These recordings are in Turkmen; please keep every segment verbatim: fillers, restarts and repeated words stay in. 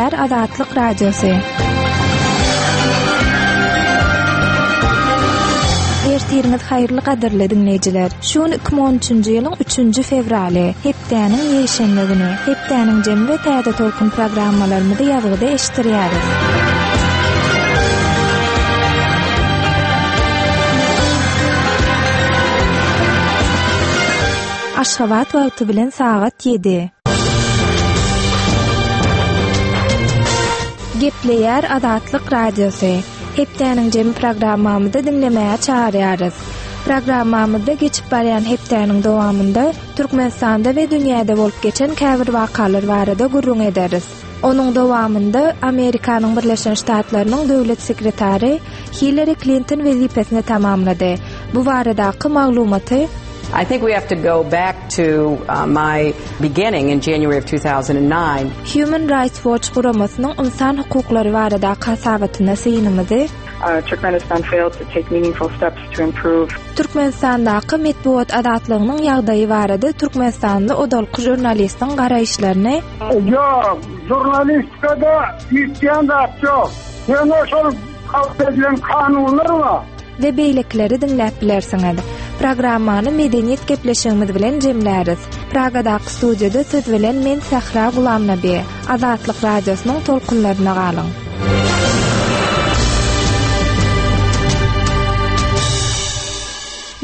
Gepleýär Azatlyk Radiosy. Ertiriňiz haýyrly gadyrly diňleýjiler. Şu gün iki müň on üçünji ýylyň üçünji fewraly, hepdäniň ýekşenbe güni. Hepdäniň jemi we täze tolkun programmalarymyzy ýazgyda eşitdirýäris. Aşgabat wagty bilen sagat ýedi. Gepleýär Azatlyk Radiosy. Hepdäniň jemi programmamyzda diňlemäge çagyrýarys. Programmamyzda geçip barýan hepdäniň dowamynda Türkmenistanda we dünýäde bolup geçen käbir wakalar barada gürrüň ederis. Onuň dowamynda Amerikanyň Birleşen Ştatlarynyň döwlet sekretary Hillary Clinton wezipesini tamamlady. Bu baradaky maglumaty I think we have to go back to, uh, my beginning in January of two thousand and nine. Human Rights Watch guramasynyň ynsan hukuklary baradaky hasabatyna synymyzy Uh, Turkmenistan failed to take meaningful steps to improve. Türkmenistandaky metbugat azatlygynyň ýagdaýy barada Türkmenistanly odalky žurnalistiň garaýyşlaryny Ýok, žurnalistikada hiç zat ýok. Ýöne şol kabul edilen kanunlar bar. We beýlekileri diňläp bilersiňiz. Programmany medeniýet gepleşigimiz bilen jemläris. Pragadaky studiýada söz bilen men Sahra Gulamnabi. Azatlyk radiosynyň tolkunlaryna galyň.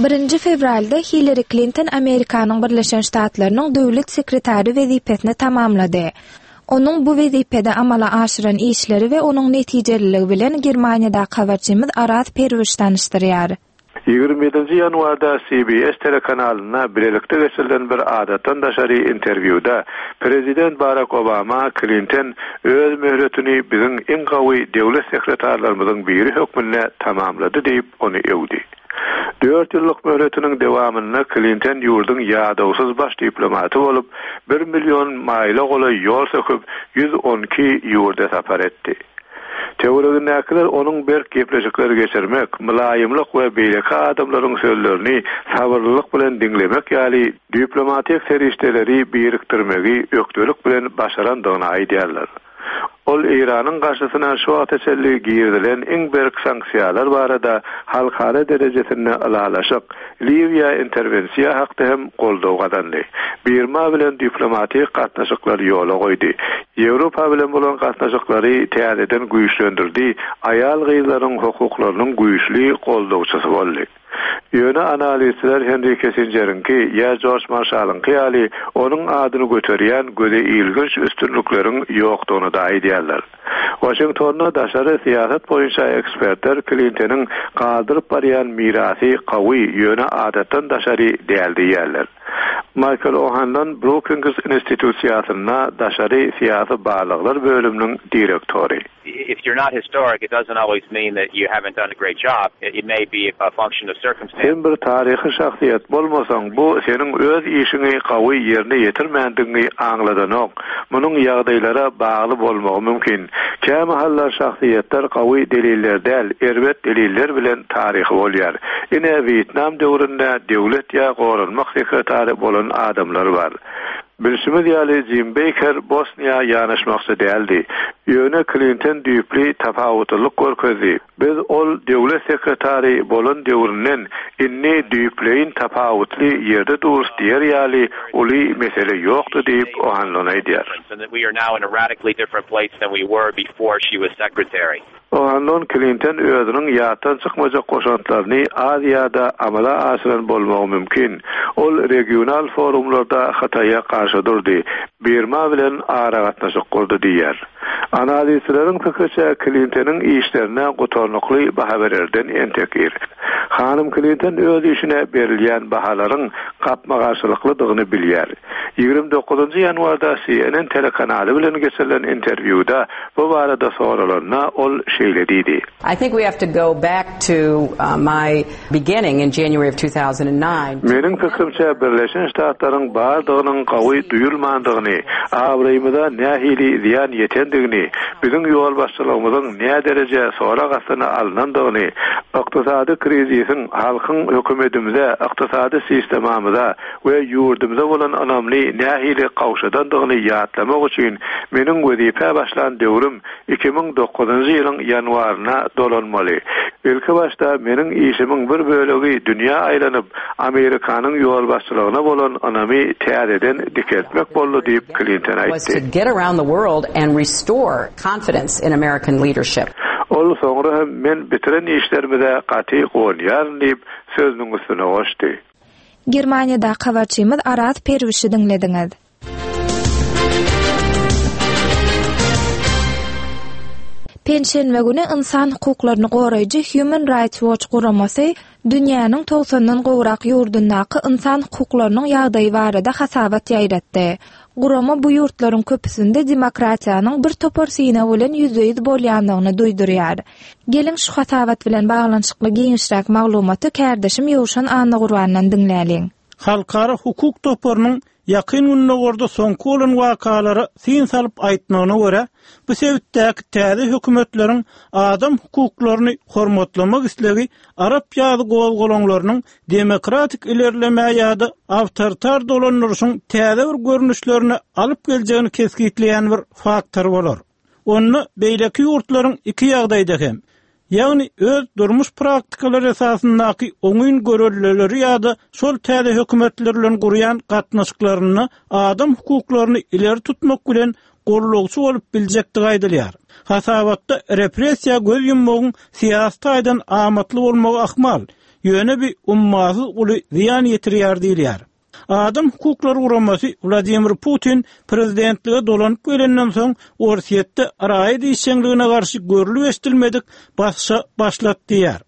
Birinji fewralda Hillary Clinton Amerikanyň Birleşen Ştatlarynyň döwlet sekretary wezipesini tamamlady. Onuň bu wezipede amala aşyran işleri we onuň netijeliligi bilen Germaniýadaky habarçymyz Araz Perwiş tanyşdyrýar. Ýigrimi ýedinji ýanwarda C B S telekanalynda bilelikde geçirilen bir adatdan daşary interwýuda Prezident Barack Obama Clinton öz möhletini biziň iň gawy döwlet sekretarlarymyzyň biri hökmünde tamamlady diýip ony öwdi. Dört ýyllyk möhletiniň dowamynda Clinton ýurduň ýadawsyz baş diplomaty bolup, bir million maýla golaý ýol söküp, ýüz on iki ýurda sapar etdi. Töweregindäkiler onuň berk gepleşikler geçirmek, mylaýymlyk we beýleki adamlaryň sözlerini sabyrlylyk bilen diňlemek ýaly diplomatik serişdeleri birikdirmegi ökdelik bilen başarandygyny aýdýarlar. Ol Eýranyň garşysyna şu wagta çenli girizilen iň berk sanksiýalar barada halkara derejesinde ylalaşyk, Liwiýa interwensiýa hakda hem goldaw gazandy. Birma bilen diplomatik gatnaşyklar ýola goýdy. Ýewropa bilen bolan gatnaşyklary täzeden güýçlendirdi, aýal gyzlaryň hukuklarynyň güýçli goldawçysy boldy. Ýöne analizçiler Henry Kissingeriňki ýa George Marshallyňky ýaly onuň adyny göterýän göze ilginç üstünlikleriň ýokdugyny da aýdýarlar. Washingtonda daşary syýasat boýunça ekspertler Clintonyň galdyryp barýan mirasy gawy ýöne adatdan daşary däl diýýärler. Michael O'Hanlon Brookings institusiýasynda daşary syýasy barlaglar bölüminiň direktory. If you're not historic, it doesn't always mean that you haven't done a great job. It, it may be a function of circumstance. Sen bir taryhy şahsyýet bolmasaň, bu seniň öz işiňi gawy ýerine ýetirmändigiňi aňladanok. Munuň ýagdaýlara bagly bolmagy mümkin. Kämahallar şahsyýetler gawy deliller däl, erbet deliller bilen taryhy bolýar. Ine Wýetnam döwründe döwlet ýa goranmak sekretary bolan adamlar bar. Bilşimiz ýaly Jim Baker Bosniýa ýanaşmakçy däldi. Ýöne Clinton düýpli tapawutlylyk görkezdi. Biz ol döwlet sekretary bolan döwründen indi düýpleýin tapawutly ýerde durus diýer ýaly uly mesele ýokdy diýip O'Hanlon aýdýar. And that we are now in a radically different place than we were before she was secretary. O'Hanlon Clinton özüniň ýatdan çykmajak goşantlaryny Aziýada amala aşyran bolmagy mümkin. Ol regional forumlarda Hytaýa garşy durdy. Birma bilen aragatnaşyk gurdy diýýär. Analizçileriň pikiriçe Clintonyň işlerine gutarnykly baha bererden entekir. Hanym Clinton öz işine berilýän bahalaryň gapma-garşylyklydygyny bilýär. Ýigrimi dokuzynjy ýanwarda C N N telekanaly bilen geçirilen interwýuda bu barada soralanda ol şeýle diýdi. I think we have to go back to, uh, my beginning in January of two thousand and nine. Meniň pikrimçe Birleşen Ştatlaryň bardygynyň gawy duýulmandygyny, abraýymyza nähili zyýan ýetendigini, biziň ýolbaşçylygymyzyň nädereje sorag astyna alynandygyny, ykdysady krizisiň halkyň hökümetimize, ykdysady sistemamyza halkymyza we ýurdumyza bolan ynamyny nähili gowşadandygyny ýatlamak üçin meniň wezipä başlan döwrüm iki müň dokuzynjy ýylyň ýanwaryna dolanmaly. Ilki başda meniň işimiň bir bölegi dünýä aýlanyp, Amerikanyň ýolbaşçylygyna bolan ynamy täzeden dikeltmek boldy diýip Klinton was to aýtdy. get around the world and restore confidence in American leadership. Ol soňra hem men bitiren işlerimize gaty guwanýaryn diýip sözüniň üstüne goşdy. Germaniýadaky habarçymyz Araz Perwişi diňlediňiz. Penşenbe güni insan hukuklaryny goraýjy Human Rights Watch guramasy dünýäniň togsandan gowrak ýurdundaky insan hukuklarynyň ýagdaýy barada hasabat ýaýratdy. Gurama bu ýurtlaryň köpüsinde demokratiýanyň bir topar synag bilen ýüzbe-ýüz bolýandygyny duýdurýar. Geliň şu hasabat bilen baglanyşykly giňişräk maglumaty kärdeşim Ýowşan Annagurbandan diňläliň. Halkara hukuk toparynyň ýakyn günlerde soňky bolan wakalara syn salyp aýtmagyna görä, bu sebitdäki täze hökümetleriň adam hukuklaryny hormatlamak islegi Arap ýazy gozgalaňlarynyň demokratik ilerleme ýa-da awtoritar dolandyryşyň täze bir görnüşlerini alyp geljegini kesgitleýän bir faktor bolar. Onda beýleki ýurtlaryň iki ýagdaýda hem, ýagny öz durmuş praktikalary esasyndaky oňyn görelmeleri ýa-da şol täze hökümetler bilen gurýan gatnaşyklaryny adam hukuklaryny ileri tutmak bilen gollagçy bolup biljekdigi aýdylýar. Hasabatda repressiýa göz ýummagyň syýasy taýdan amatly bolmagy ahmal, ýöne bir ummasyz uly zyýan ýetirýär diýilýär. Adam hukuklary guramasy Wladimir Putin prezidentlige dolanyp gelenden soň Orsýetde raýat işjeňligine garşy görülip eşidilmedik basyşa başlat diýär.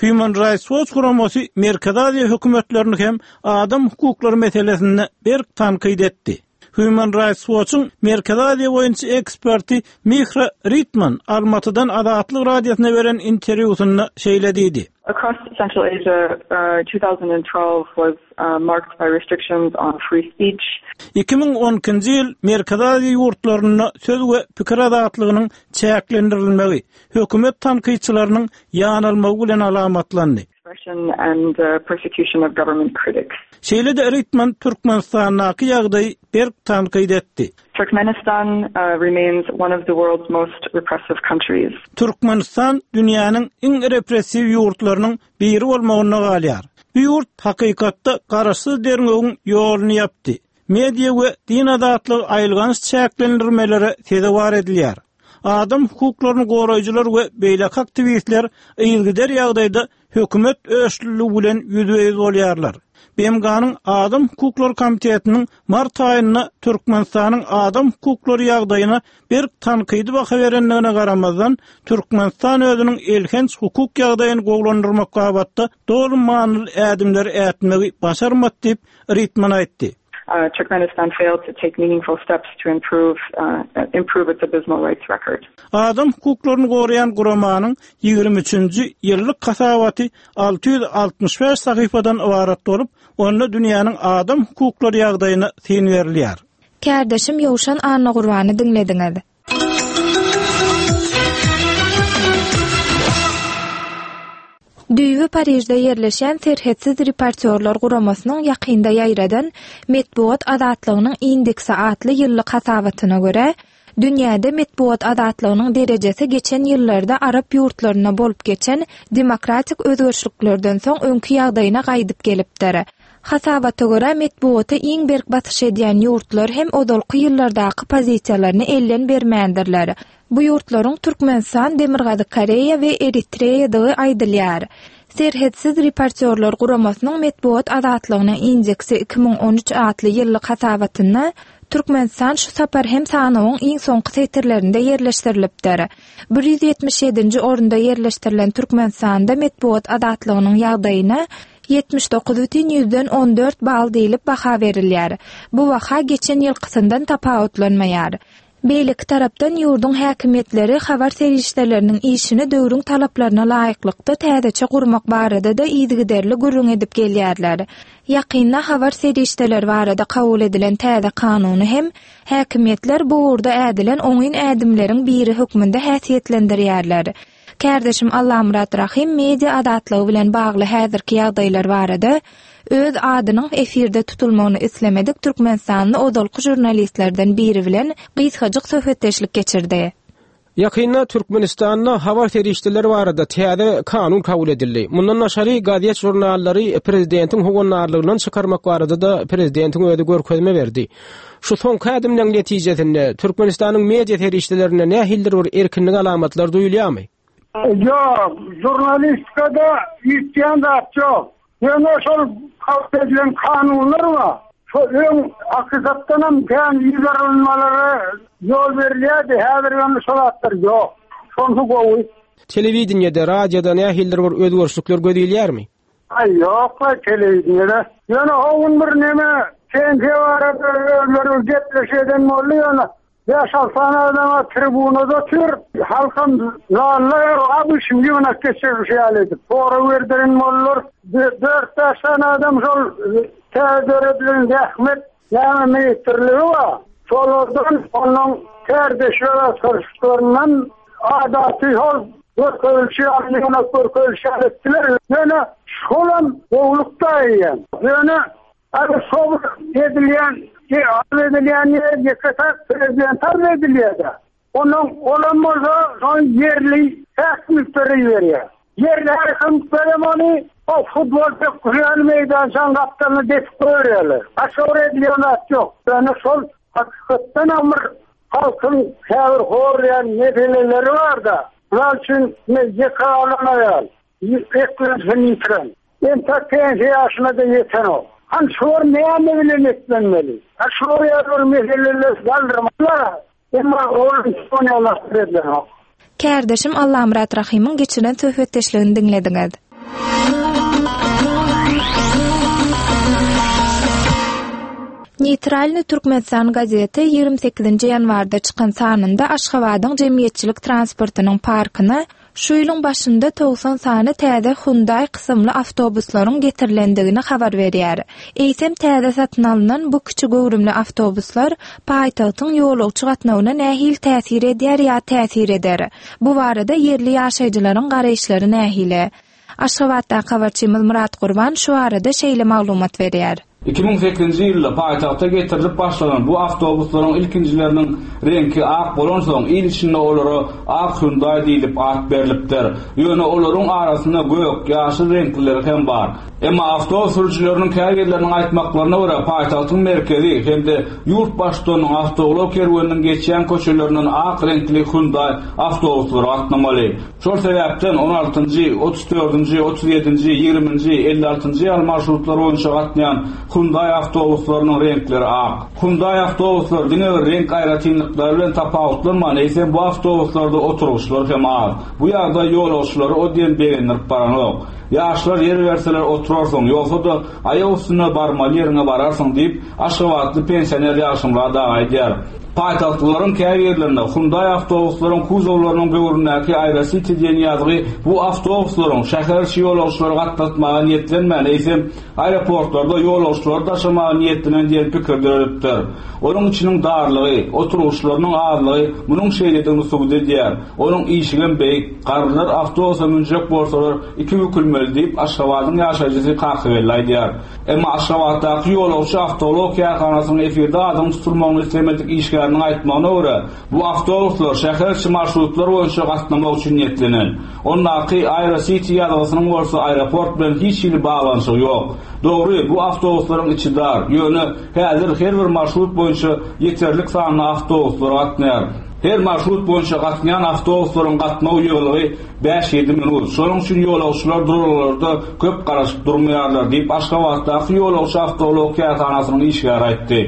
Human Rights Watch guramasy Merkezi Aziýa hökümetlerini hem adam hukuklary meselesinde berk tankyt etdi. Human Rights Watch'yň Merkezi Aziýa boýunça eksperti Mihra Ritman Almatydan Azatlyk radiosyna beren interwýusynda şeýle diýdi. Across Central Asia, uh, two thousand and twelve was, uh, marked by restrictions on free speech. Iki müň on ikinji ýyl Merkezi Aziýa ýurtlarynda söz we pikir azatlygynyň çäklendirilmegi, hökümet tankytçylarynyň ýanalmagy bilen alamatlandy. Expression and, uh, persecution of government critics. Şeýle-de Ritman Türkmenistandaky ýagdaýy berk tankyt etdi. Turkmenistan, uh, remains one of the world's most repressive countries. Türkmenistan dünýäniň iň repressiw ýurtlarynyň biri bolmagyna galýar. Bu ýurt hakykatda garaşsyz derňewiň ýoluny ýapdy. Media we din azatlygy aýylganç çäklendirmelere sezewar edilýär. Adam hukuklaryny goraýjylar we beýleki aktiwistler yzygider ýagdaýda hökümet öçlüligi bilen ýüzbe-ýüz bolýarlar. B M G-nyň Adam Hukuklary Komitetiniň mart aýynda Türkmenistanyň adam hukuklary ýagdaýyna berk tankydy baha berendigine garamazdan, Türkmenistan özüniň elhenç hukuk ýagdaýyny gowulandyrmak babatda doly manyly ädimleri ätmegi başarmady diýip Ritman aýtdy. Uh, Turkmenistan failed to take meaningful steps to improve, uh, improve its abysmal rights record. Adam hukuklaryny goraýan guramanyň ýigrimi üçünji ýyllyk hasabaty alty ýüz altmyş bäş sahypadan ybarat bolup, onda dünýäniň adam hukuklary ýagdaýyna syn berilýär. Kärdeşim Ýowşan Annagurbany diňlediňiz. Düýbi Parižde ýerleşen Serhetsiz reportýorlar guramasynyň ýakynda ýaýradan Metbugat azatlygynyň indeksi atly ýyllyk hasabatyna görä, dünýäde metbugat azatlygynyň derejesi geçen ýyllarda Arap ýurtlarynda bolup geçen demokratik özgerişliklerden soň öňki ýagdaýyna gaýdyp gelipdir. Hasabata görä metbugata iň berk basyş edýän ýurtlar hem ozalky ýyllardaky pozisiýalaryny elden bermändirler. Bu ýurtlaryň Türkmenistan, Demirgazyk Koreýa we Eritreýadygy aýdylýar. Serhetsiz reportýorlar guramasynyň metbugat azatlygynyň indeksi iki müň on üç atly ýyllyk hasabatynda Türkmenistan şu sapar hem sanawyň iň soňky setirlerinde ýerleşdirilipdir. Bir ýüz ýetmiş ýedinji orunda ýerleşdirilen Türkmenistanda metbugat azatlygynyň ýagdaýyna ýetmiş dokuz bütin ýüzden on dört bal diýlip baha berilýär. Bu baha geçen ýylkysyndan tapawutlanmaýar. Beýleki tarapdan ýurduň häkimiýetleri habar serişdeleriniň işini döwrüň talaplaryna laýyklykda täzeçe gurmak barada-da yzygiderli gürrüň edip gelýärler. Ýakynda habar serişdeleri barada kabul edilen täze kanuny hem häkimiýetler bu ugurda ädilen oňyn ädimleriň biri hökmünde häsiýetlendirýärler. Kärdeşim Allamyrat Rahym media azatlygy bilen bagly häzirki ýagdaýlar barada öz adynyň efirde tutulmagyny islemedik Türkmenistanly ozalky žurnalistlerden biri bilen gysgajyk söhbetdeşlik geçirdi. Ýakynda Türkmenistanda habar serişdeleri barada täze kanun kabul edildi. Mundan daşary gazet žurnallary prezidentiň howandarlygyndan çykarmak barada da prezidentiň özi görkezme berdi. Şu soňky ädimleň netijesinde Türkmenistanyň media serişdelerinde nähilidir bir erkinlik alamatlar duýulýarmy? Ýok, žurnalistikada üýtgän zat ýok. Ýöne şol kabul edilen kanunlar bar. Şo öň hakykatdanam kän ýüzarylmalara ýol berilýärdi, häzir ýöne şol zatlar ýok. Şonsu gowy. Telewideniýede, radioda nähilidir bir özgerişlikler göz ilýärmi? Aý ýok, telewideniýede. Ýöne o gün bir neme T N T barada özleri gepleşik eden boldy ýöne. Bäş altı sany adama tribunada otyr, halkam zallar abi şimdi ýygnak geçirmiş ýaly edip. Sorag berdiren boldular. Dört bäş sany adam şol täze döredilen zähmet ýa ministrligi bar. Şolardan onuň kärdeşler askarlaryndan adaty hol görkezilişi ýaly ýygnak görkezilişi ýaly etdiler. Ýöne şolam gowlukda eýýäm. Ýöne Abi şol edilýän, arz edilýän ýer ýeke-täk prezident arz edilýär. Onuň olam bolsa şol ýerli häkimiýetleri berýär. Ýerli häkimiýetler ony o futbol pekgülen meýdançanyň gapdalyna desip goýýarlar. Başga bir edilýän zat ýok. Ýöne şol hakykatdan bir halkyň käbir horýan meseleleri bar-da. Mysal üçin, ýeke galan aýal, eklensin ýitiren. Entek pensiýa ýaşyna da ýetenok. Han şor näme bilen etlenmeli? Ha şor ýaly meseleler galdyrmalar. Emma ol soňalar edilenok. Kärdeşim Allamyrat Rahymyň geçiren söhbetdeşligini diňlediňiz. Neýtralny Türkmenistan gazeti ýigrimi sekizinji ýanwarda çykan sanynda Aşgabadyň jemgyýetçilik transportynyň parkyna şu ýylyň başynda togsan sany täze Hyundai kysymly awtobuslaryň getirilendigini habar berýär. Eýsem täze satyn alynan bu kiçi göwrümli awtobuslar paýtagtyň ýolagçy gatnawyna nähili täsir edýär ýa täsir eder? Bu barada ýerli ýaşaýjylaryň garaýyşlary nähili? Aşgabatdaky habarçymyz Murat Gurban şu arada şeýle maglumat berýär. Iki müň sekizinji ýylda paýtagta getirilip başlanan bu awtobuslaryň ilkinjileriniň reňki ak bolansoň il içinde olara ak Hyundai diýlip at berilipdir. Ýöne olaryň arasynda gök, ýaşyl reňklileri hem bar. Emma awtobus sürüjileriniň käbirleriniň aýtmaklaryna görä paýtagtyň merkezi hem-de ýurt baştutanynyň awtoulag kerweniniň geçýän köçelerinden ak reňkli Hyundai awtobuslary gatnamaly. Şol sebäpden on altynjy, otuz dördünji, otuz ýedinji, ýigriminji, elli altynjy ýaly marşrutlar boýunça gatnaýan Hyundai awtobuslarynyň reňkleri ak. Hyundai awtobuslary diňe bir reňk aýratynlyklary bilen tapawutlanman, eýsem bu awtobuslarda oturgyçlar hem az. Bu ýagdaý ýolagçylary o diýen begendirip baranok. Ýaşlar ýer berseler oturarsyň, ýogsa-da aýak üstüne barmaly ýeriňe bararsyň diýip, Aşgabatly pensioner Ýagşymyrat aga aýdýar. Paýtagtlylaryň käbirlerinde Hyundai awtobuslaryň kuzowlarynyň böwründäki Aerocity diýen ýazgy bu awtobuslaryň şäher içi ýolagçylary gatnatmaga niýetlenmän, eýsem aeroportlarda ýolagçylary daşamaga niýetlenen diýen pikir döredipdir. Onuň içiniň darlygy, oturgyçlarynyň azlygy munuň şeýledigini subut edýär. Onuň işigem beýik, garrylar awtobusa münjek bolsalar iki bükülmeli diýip Aşgabadyň ýaşaýjysy Kakybelli aýdýar. Emma Aşgabatdaky ýolagçy awtoulag kärhanasynyň efirde adynyň tutulmagyny islemedik işgäriniň aýtmagyna görä, bu awtobuslar şäher içi marşrutlar boýunça gatnamak üçin niýetlenen. Ondaky Aerocity ýazgysynyň bolsa aeroport bilen hiç hili baglanyşygy ýok. Dogry, bu awtobuslaryň içi dar. Ýöne häzir her bir marşrut boýunça ýeterlik sanly awtobuslar gatnaýar. Her marşrut boýunça gatnaýan awtobuslaryň gatnaw ýygylygy bäş ýedi minut. Şonuň üçin ýolagçylar duralgalarda köp garaşyp durmaýarlar diýip Aşgabatdaky ýolagçy awtoulag kärhanasynyň işgäri aýtdy.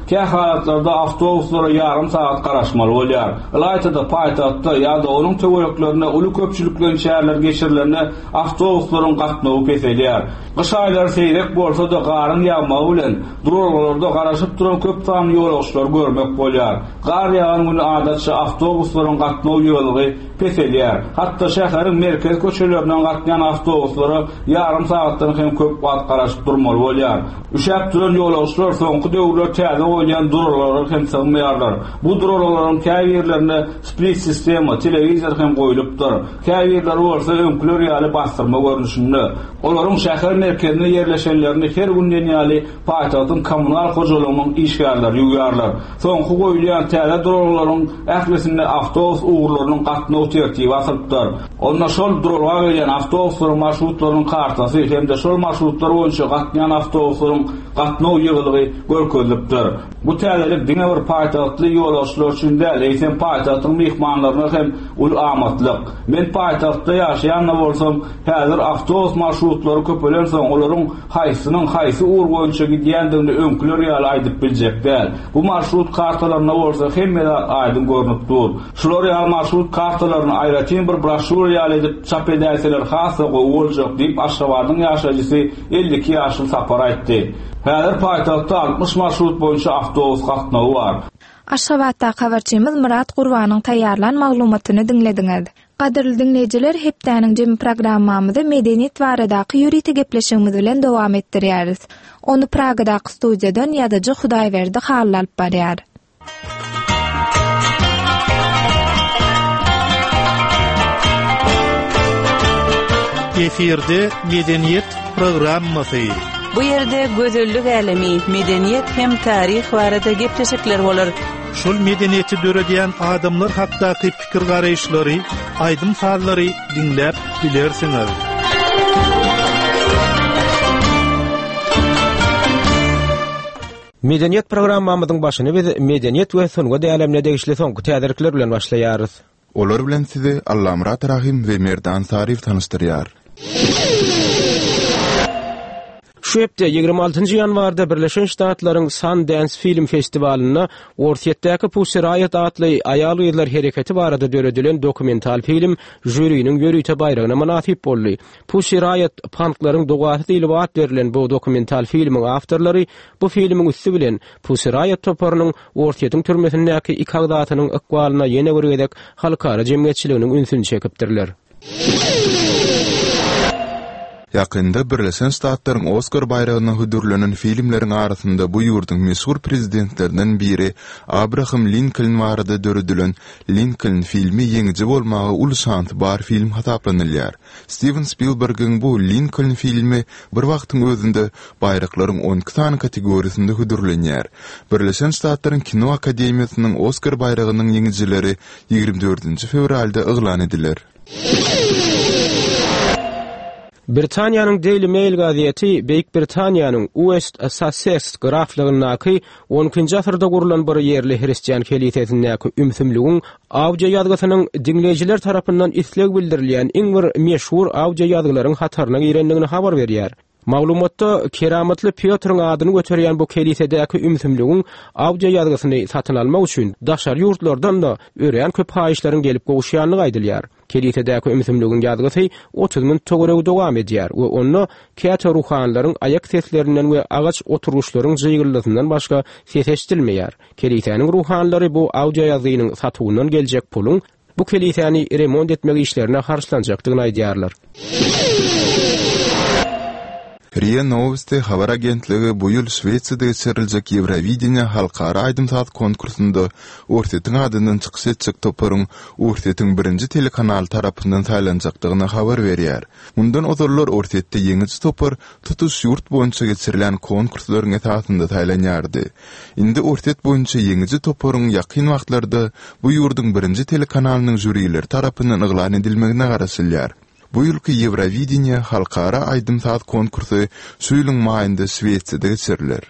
Kähalatlarda awtobuslara ýarym sagat garaşmaly bolýar. Ylaýta-da paýtagtda ýa-da onuň töwereklerinde uly köpçülikleýin çäreler geçirilende awtobuslaryň gatnawy peselýär. Gyş aýlary seýrek bolsa-da garyň ýagmagy bilen duralgalarda garaşyp duran köp sanly ýolagçylary görmek bolýar. Gar ýagan güni adatça awtobuslaryň gatnaw ýygylygy peselýär. Hatda şäheriň merkezi köçelerinden gatnaýan awtobuslara ýarym sagatdan hem köp wagt garaşyp durmaly bolýar. Üşäp duran ýolagçylar soňky döwürler täze goýulýan duralgalara hem sygmaýarlar. Bu duralgalaryň käbirlerinde split sistema, telewizor hem goýlupdyr. Käbirleri bolsa öňküler ýaly bastyrma görnüşinde. Olaryň şäher merkezinde ýerleşenlerini her gün diýen ýaly paýtagtyň kommunal hojalygynyň işgärleri ýuwýarlar. Soňky goýulýan täze duralgalaryň ählisinde awtobus ugurlarynyň gatnaw tertibi asylypdyr. Onda şol duralga gelýän awtobuslaryň marşrutlarynyň kartasy hem-de şol marşrutlar boýunça gatnaýan awtobuslaryň gatnaw ýygylygy görkezilipdir. Bu täzelik diňe bir paýtagtly ýolagçylar üçin däl, eýsem paýtagtyň myhmanlaryna hem uly amatlyk. Men paýtagtda ýaşaýan bolsam, häzir awtobus marşrutlary köpelensoň, olaryň haýsynyň haýsy ugur boýunça gidýändigini öňküler ýaly aýdyp biljek däl. Bu marşrut kartalarynda bolsa hemme zat aýdyň görnüp dur. Şular ýaly marşrut kartalaryny aýratyn bir broşýur ýaly edip çap edäýseler has-da gowy boljak diýip Aşgabadyň ýaşaýjysy elli iki ýaşly Sapar aýtdy. Häzir paýtagtda altmyş marşrut boýunça awtobus gatnawy bar. Aşgabatda habarçymyz Murat Gurbanyň taýýarlan maglumatyny diňlediňiz. Gadyrly diňleýjiler, hepdäniň jemi programmamyzy medeniýet baradaky ýörite gepleşigimiz bilen dowam etdirýäris. Ony Pragadaky studiýadan ýazyjy Hudaýberdi Hally alyp barýar. Efirde medeniýet programmasy. Bu ýerde gözellik älemi, medeniýet hem taryh barada gepleşikler bolar. Şol medeniýeti döredýän adamlar hakdaky pikir garaýyşlary, aýdym sazlary diňläp bilersiňiz. Medeniýet programmamyzyň başyny biz medeniýet we sungat älemine degişli soňky täzelikler bilen başlaýarys. Olar bilen sizi Allamyrat Rahim we Merdan Saryýew tanyşdyrýar. Şu hepde ýigrimi altynjy ýanwarda Birleşen Ştatlaryň Sundance Film Festiwalynda Orsýetdäki Pussy Riot atly aýal-gyzlar hereketi barada döredilen dokumental film žüriniň ýörite baýragyna mynasyp boldy. Pussy Riot punklaryň dogasy diýlip at berlen bu dokumental filmiň awtorlary bu filmiň üsti bilen Pussy Riot toparynyň Orsýetiň türmesindäki iki agzasynyň ykbalyna ýene bir gezek halkara jemgyýetçiliginiň ünsüni çekipdirler. Ýakynda Birleşen Ştatlaryň Oskar baýragyna hödürlenen filmleriň arasynda bu ýurduň meşhur prezidentlerinden biri Abraham Lincoln barada döredilen Lincoln filmi ýeňiji bolmaga uly şansy bar film hasaplanylýar. Steven Spielbergiň bu Lincoln filmi bir wagtyň özünde baýraklaryň on iki sany kategoriýasynda hödürlenýär. Birleşen Ştatlaryň Kino Akademiýasynyň Oskar baýragynyň ýeňijileri ýigrimi dördünji fewralda yglan ediler. Britaniýanyň Daily Mail gazeti Beýik Britaniýanyň West Sussex graflygyndaky on ikinji asyrda gurlan bir ýerli hristian kelisesindäki ümsümligiň audio ýazgysynyň diňleýjiler tarapyndan isleg bildirilýän iň bir meşhur audio ýazgylaryň hataryna girendigini habar berýär. Maglumatda keramatly Pýotryň adyny göterýän bu kelisedäki ümsümligiň audio ýazgysyny satyn almak üçin daşary ýurtlardan da örän köp haýyşlaryň gelip gowuşýandygy aýdylýar. Kelisedäki ümsümligiň ýazgysy otuz minut töweregi dowam edýär we onda käte ruhanlaryň aýak seslerinden we agaç oturgyçlaryň jygyldysyndan başga ses eşidilmeýär. Kelisäniň ruhanlary bu audio ýazgynyň satuwyndan geljek puluň bu kelisäni remont etmek işlerine harçlanjakdygyny aýdýarlar. R I A Novosti habar agentligi bu ýyl Şwetsiýada geçiriljek Ýewrovideniýa halkara aýdym-saz konkursynda Orsýetiň adyndan çykyş etjek toparyň Orsýetiň birinji telekanaly tarapyndan saýlanjakdygyny habar berýär. Mundan ozallar Orsýetde ýeňiji topar tutuş ýurt boýunça geçirilen konkurslaryň esasynda saýlanýardy. Indi Orsýet boýunça ýeňiji toparyň ýakyn wagtlarda bu ýurduň birinji telekanalynyň žürileri tarapyndan yglan edilmegine garaşylýar. Bu ýylky Ýewrovideniýa halkara aýdym-saz konkursy şu ýylyň maýynda Şwetsiýada geçiriler.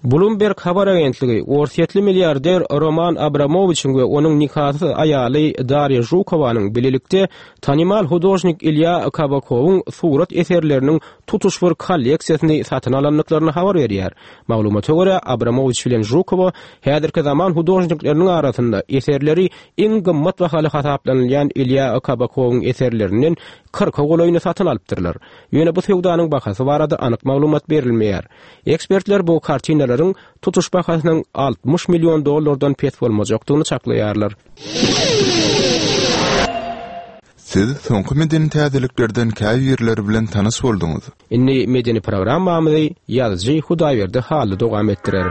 Bloomberg habar agentligi Orsýetli milliarder Roman Abramowiçiň we onuň nikasyz aýaly Darýa Žukowanyň bilelikde tanymal hudožnik Ilýa Kabakowyň surat eserleriniň tutuş bir kolleksiýasyny satyn alandyklaryny habar berýär. Maglumata görä Abramowiç bilen Žukowa häzirki zaman hudožnikleriniň arasynda eserleri iň gymmat bahaly hasaplanylýan Ilýa Kabakowyň eserlerinden kyrka golaýyny satyn alypdyrlar. Ýöne bu söwdanyň bahasy barada anyk maglumat berilmeýär. Ekspertler bu kartinalaryň tutuş bahasynyň altmyş million dollardan pes bolmajakdygyny çaklaýarlar. Siz soňky medeni täzeliklerden käbirleri bilen tanyş bolduňyz. Indi medeni programmamyzy ýazyjy Hudaýberdi Hally dowam etdirer.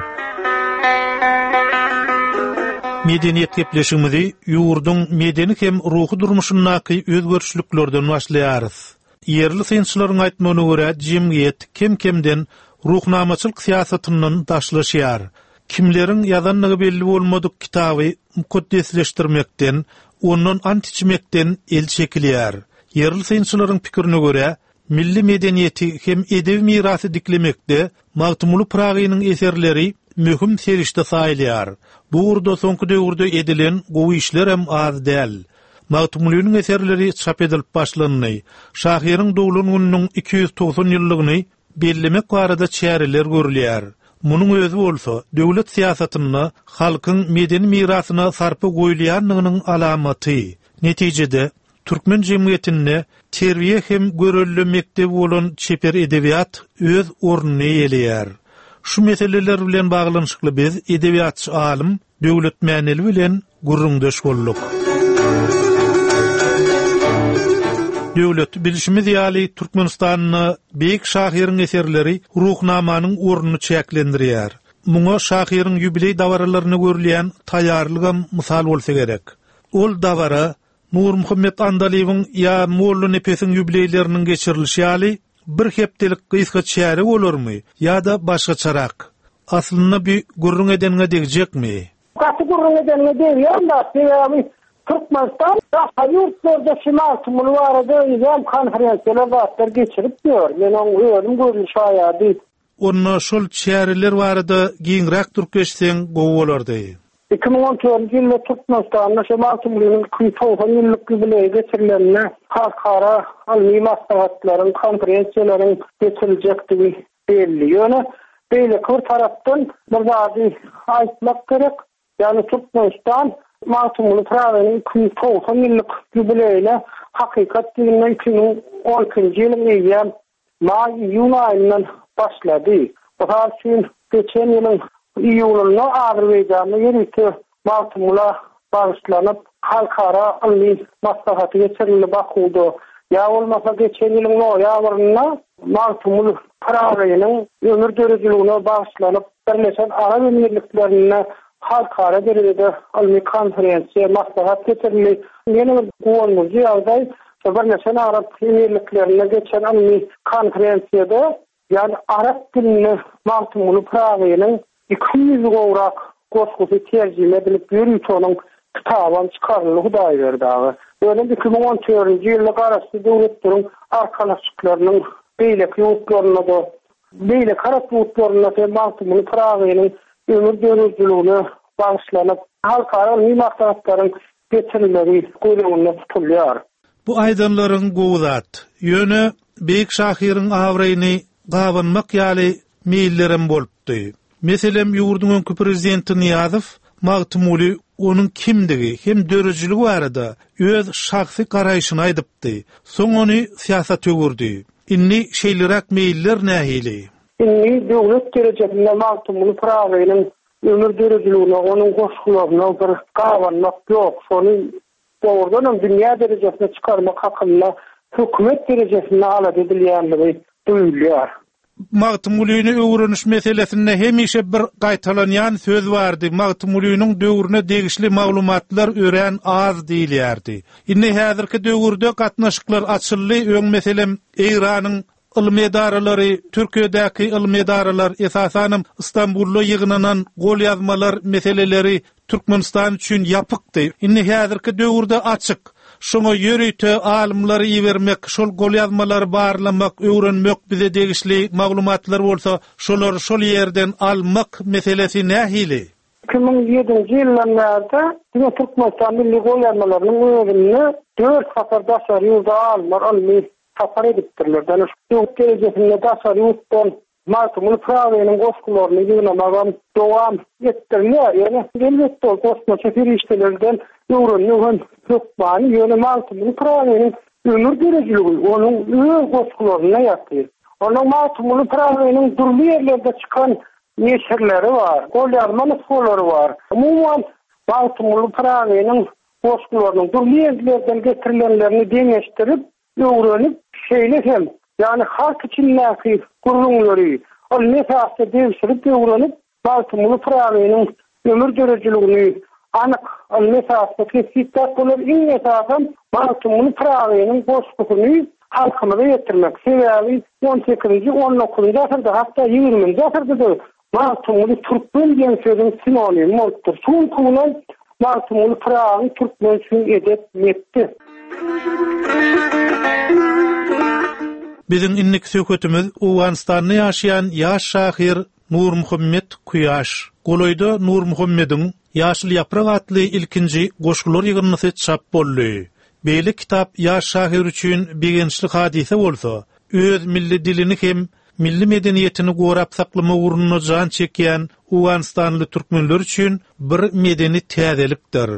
Medeniýet gepleşigimizi ýurduň medeni hem ruhy durmuşyndaky özgerişliklerden başlaýarys. Ýerli synçylaryň aýtmagyna görä, jemgyýet kem-kemden ruhnamaçylyk syýasatyndan daşlaşýar. Kimleriň ýazandygy belli bolmadyk kitaby mukaddesleşdirmekden, ondan ant içmekden el çekilýär. Ýerli synçylaryň pikirine görä, milli medeniýeti hem edebi mirasy diklemekde Magtymguly Pyragynyň eserleri möhüm serişde saýylýar. Bu ugurda soňky döwürde edilen gowy işlerem az däl. Magtymgulynyň eserleri çap edilip başlandy. Şahyryň doglan gününiň iki ýüz togsan ýyllygyny bellemek barada çäreler görülýär. Munuň özi bolsa döwlet syýasatynda halkyň medeni mirasyna sarpa goýulýandygynyň alamaty. Netijede türkmen jemgyýetinde terbiýe hem görelde mekdebi bolan çeper edebiýat öz ornuny eýeleýär. Şu meseleler bilen baglanyşykly biz edebiýatçy alym Döwlet Mäneli bilen gürrüňdeş bolduk. Döwlet, bilşimiz ýaly, Türkmenistanda beýik şahyryň eserleri ruhnamanyň ornuny çäklendirýär. Muňa şahyryň ýubileý dabaralaryna görülýän taýýarlygam mysal bolsa gerek. Ol dabara Nurmuhammet Andalybyň ýa Molla Nepesiň ýubileýleriniň geçirilişi ýaly bir hepdelik gysga çäre bolarmy ýa-da başgaçarak? Aslynda bu gürrüň edeniňe degjekmi? Gaty gürrüň edeniňe degýän zat, sebäbi Türkmenistan daşary ýurtlarda şu Magtymguly barada eýýäm konferensiýalar zatlar geçirip ýör. Men oň özüm görli şaýady. Onda şol çäreler barada giňräk durup geçseň gowy bolardy. Iki müň on dördünji ýylda Türkmenistanda şu Magtymgulynyň iki ýüz togsan ýyllyk ýubileýi geçirilende halkara ylmy maslahatlaryň, konferensiýalaryň geçiriljekdigi belli. Ýöne beýleki bir tarapdan bir zady aýtmak gerek. Ýagny Türkmenistan Magtymguly Pyragynyň iki ýüz togsan ýyllyk ýubileýine hakykat ýüzünde iki müň on ikinji ýylyň eýýäm maý iýun aýyndan başlady. Mysal üçin geçen ýylyň iýunynda Azerbaýjanda ýörite Magtymgula bagyşlanyp halkara ylmy maslahaty geçirildi Bakuwda. Ýa bolmasa geçen ýylyň noýabrynda Magtymguly Pyragynyň ömür döredijiligine bagyşlanyp Birleşen Arap Emirliklerinde halkara derejede ylmy konferensiýa maslahat geçirildi. Ýene bir guwandyryjy ýagdaý, Birleşen Arap Emirliklerinde geçen ylmy konferensiýada, ýagny arap dilinde Magtymguly Pyragynyň iki ýüz gowrak goşgusy terjime edilip ýörite onuň kitaby çykaryldy Hudaýberdi aga. Ýöne iki müň on dördünji ýylda Garaşsyz Döwletleriň Arkalaşyklarynyň beýleki ýurtlarynda da beýleki arap ýurtlarynda hem Magtymguly Pyragynyň ömür döredijiligine bagyşlanyp halkara ylmy maslahatlaryň geçirilmegi göz öňünde tutulýar. Bu aýdanlaryň gowy zat. Ýöne beýik şahyryň abraýyny gabanmak ýaly meýillerem bolupdy. Meselem, ýurduň öňki prezidenti Nyýazow Magtymguly onuň kimdigi hem döredijiligi barada öz şahsy garaýşyny aýdypdy. Soň ony syýasat öwürdi. Indi şeýleräk meýiller nähili? Indi döwlet derejesinde Magtymguly Pyragynyň ömür döredijiligine, onuň goşgularyna bir gabanmak ýok. Şony dogrudan hem dünýä derejesine çykarmak hakynda hökümet derejesinde alada edilýänligi duýulýar. Magtymgulyny öwreniş meselesinde hemişe bir gaýtalanýan söz bardy. Magtymgulynyň döwrüne degişli maglumatlar örän az diýilýärdi. Indi häzirki döwürde gatnaşyklar açyldy. Öň meselem Eýranyň ylmy edaralary, Türkiýedäki ylmy edaralar, esasanam Istanbulda ýygnanan golýazmalar meseleleri Türkmenistan üçin ýapykdy. Indi häzirki döwürde açyk. Şoňa ýörite alymlary ibermek, şol golýazmalary barlamak, öwrenmek bize degişli maglumatlar bolsa, şolar şol ýerden almak meselesi nähili? Iki müň ýedinji ýyldan bäri diňe Türkmenistan milli golýazmalarynyň özünde dört sapar daşary ýurda alymlar ylmy sapar edipdirler. Ýagny döwlet derejesinde daşary ýurtdan Magtymguly Pyragynyň goşgularyny ýygnamagam dowam etdirilýär. Ýöne elbetde ol goşmaça serişdelerden öwrenmek hem hökmany. Ýöne Magtymguly Pyragynyň ömür döredijiligi onuň öz goşgularynda ýatyr. Onuň Magtymguly Pyragynyň dürli ýerlerde çykan neşirleri bar, golýazma nusgalary bar. Umuman Magtymguly Pyragynyň goşgularynyň dürli ýerlerden getirilenlerini deňeşdirip, öwrenip, şeýle hem, ýagny halk içindäki gürrüňleri ylmy esasda degşirip öwrenip, Magtymguly Pyragynyň ömür döredijiligini anyk ylmy esasda kesgitläp bolar. Iň esasam Magtymguly Pyragynyň goşgusyny halkymyza ýetirmek. Sebäbi on sekizinji, on dokuzynjy asyrda, hatda ýigriminji asyrda-da Magtymguly türkmen diýen sözüň sinonimi bolupdyr. Şu günki günem Magtymguly Pyragy türkmen üçin edep mekdep. Biziň indiki söhbetimiz Owganystanda ýaşaýan ýaş şahyr Nurmuhammet Kuýaş. Golaýda Nurmuhammediň Ýaşyl ýaprak atly ilkinji goşgular ýygyndysy çap boldy. Beýle kitap ýaş şahyr üçin begençli hadysa bolsa, öz milli dilini hem milli medeniýetini gorap saklama ugrunda jan çekýän Owganystanly türkmenler üçin bir medeni täzelikdir.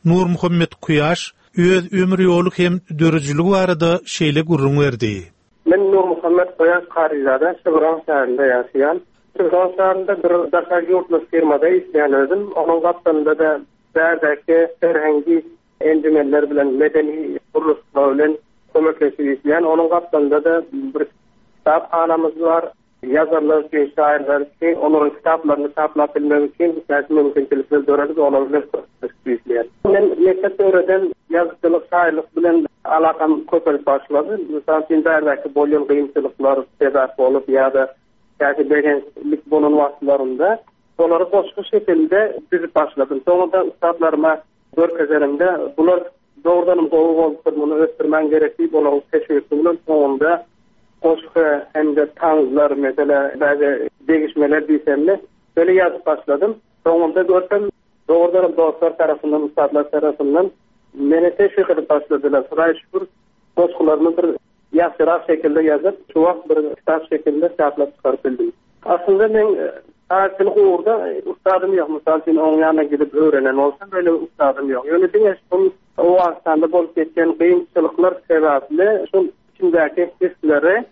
Nurmuhammet Kuýaş öz ömür ýoly hem döredijiligi barada şeýle gürrüň berdi. Men Nurmuhammet Kuýaş Karyzada Şibran şäherinde ýaşaýan. Şibran şäherinde bir daşary ýurtly firmada işleýän özüm. Onuň gapdalynda-da bärdäki serhengi enjümenler bilen, medeni gurluşlar bilen kömekleşip işleýän. Onuň gapdalynda-da bir kitaphanamyz bar. Ýazarlar üçin, şairler üçin, olaryň kitaplaryny çaplap bilmek üçin täze mümkinçilikler döredip, olar bilen kömekleşip işleýän. Men mekdep döwreden ýazyjylyk, şairlik bilen alakam köpelip başlady. Mysal üçin, bärdäki bolýan kynçylyklar sebäp bolup ýa-da täze begençlik bolan wagtlarynda olary goşgy şekilde düzüp başladym. Soňra ustadlaryma görkezenimde bular dogrudanam gowy bolupdyr, muny ösdürmän gerek diýip, olaryň teşwiki bilen soňunda goşgy hem-de taňzlar, mesela bäzi degişmeler diýsemde, böyle ýazyp başladym. Soňunda görsem, dogrudanam dostlar tarapyndan, ustadlar tarapyndan meni teşwik edip başladylar. Hudaý şükür, goşgularymy bir ýagşyrak şekilde ýazyp, şu wagt bir kitap şekilde çaplap çykaryp bildim. Aslynda men şairçilik ugurda ustadym ýok. Mysal üçin, oň ýanyna gidip öwrenen bolsam, böyle ustadym ýok. Ýöne diňe şol Owganystanda bolup geçen kynçylyklar sebäpli şol içindäki hisleri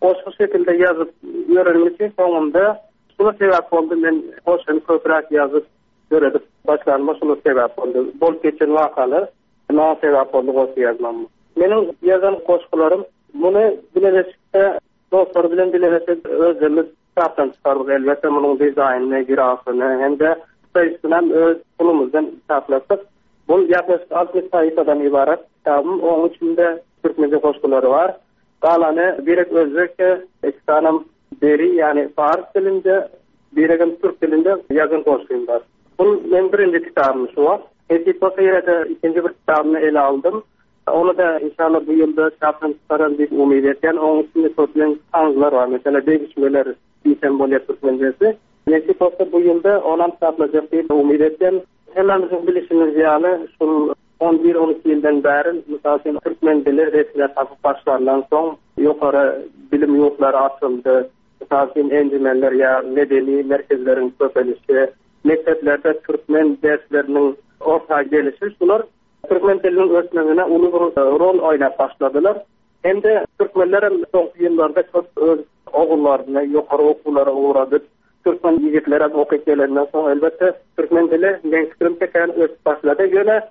goşgy şekilde ýazyp ýörenim üçin soňunda şuna sebäp boldy. Men goşgyny köpräk ýazyp döredip başlanyma şuna sebäp boldy. Bolup geçen wakalar maňa sebäp boldy goşgy ýazmama. Meniň ýazan goşgularym muny bileleşikde dostlar bilen bileleşip özümiz kitapdan çykardyk. Elbetde munuň dizaýnyny, grafyny hem-de sayısından öz pulumuzdan kitaplatdyk. Bu ýaklaşyk altmyş sahypadan ybarat kitabym. Onuň içinde türkmençe goşgulary bar. Galany birek özbekçe, iki sanam deri, ýagny fars dilinde, biregem türk dilinde ýazan goşgym bar. Bu meň birinji kitabym şu wagt. Nesip bolsa ýene-de ikinji bir kitabymy ele aldym. Onu da inşallah bu ýylda çapdan çykaran diýip umyt edýän. Onuň içinde köplenç taňzlar bar. Mesela degişmeler diýsem bolýar türkmençesi. Nesip bolsa bu ýylda onam çaplajak diýip umyt edýän. Hemmämiziň bilişimiz ýaly, şul on bir on iki ýyldan bäri, mysal üçin, türkmen dili resmi tapyp başlandan soň ýokary bilim ýurtlary açyldy. Mysal üçin, enjümenler ýa medeni merkezleriň köpelişi, mekdeplerde türkmen dersleriniň orta gelişi, şular türkmen diliniň ösmegine uly bir rol oýnap başladylar. Hem de türkmenler hem soňky ýyllarda köp öz ogullaryny ýokary okuwlara ugradyp, türkmen ýigitleri hem okyp gelenden soň elbetde türkmen dili meň pikirimçe kän ösüp başlady. Ýöne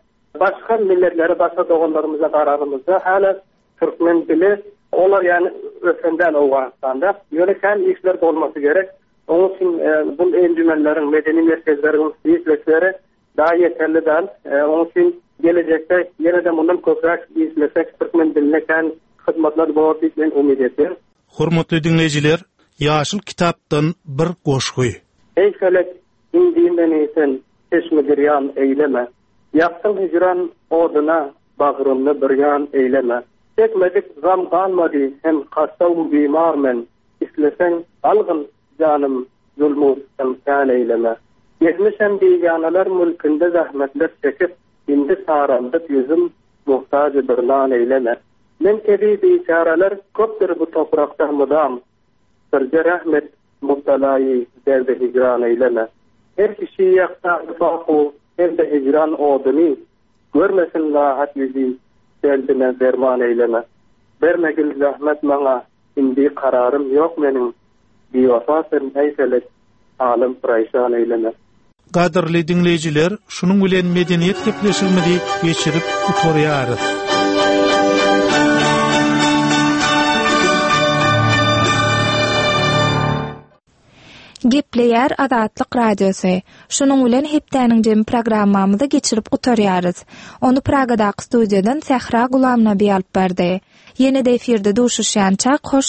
başga milletlere, başga doganlarymyza garanymyzda hala türkmen dili olar ýani ösenden Owganystanda. Ýöne kän işler bolmasy gerek. Onuň üçin, e, bu enjümenleriň, medeni merkezleriň işleşleri daha ýeterli däl. E, onuň üçin gelejekde ýene-de mundan köpräk işlesek türkmen diline kän hyzmatlar bolar diýip men umyt edýän. Hormatly diňleýjiler, Ýaşyl kitapdan bir goşgy. Ey felek, indi meni sen çeşme girýan eýleme. Ýakdyň hicran oduna bagrymny birýan eýleme. Çekmedik gam galmady hem hasta bimar men. Islesen algyn janym zulmu emkan eýleme. Gezmişem biganalar mülkünde zahmetler çekip, indi saraldyp ýüzüm muhtaç bir nan eýleme. Men kebi biçareler köpdür bu toprakda mudam. Birce rahmet mubtalaýy derdi hicran eýleme. Her kişi ýaksa baku hem de hicran oduny, görmesin rahat ýüzi derdine derman eýleme. Bermegil zahmet maňa, indi kararym ýok meniň. Biwafa sen ey felek, alym praýşan eýleme. Gadyrly diňleýjiler, şunuň bilen medeniýet gepleşigimizi geçirip gutarýarys. Gepleýär Azatlyk Radiosy. Şunuň bilen hepdäniň jemi programmamyzy geçirip gutarýarys. Ony Pragadaky studiýadan Sähra Gulamnabi alyp bardy. Ýene-de efirde duşuşýançak hoş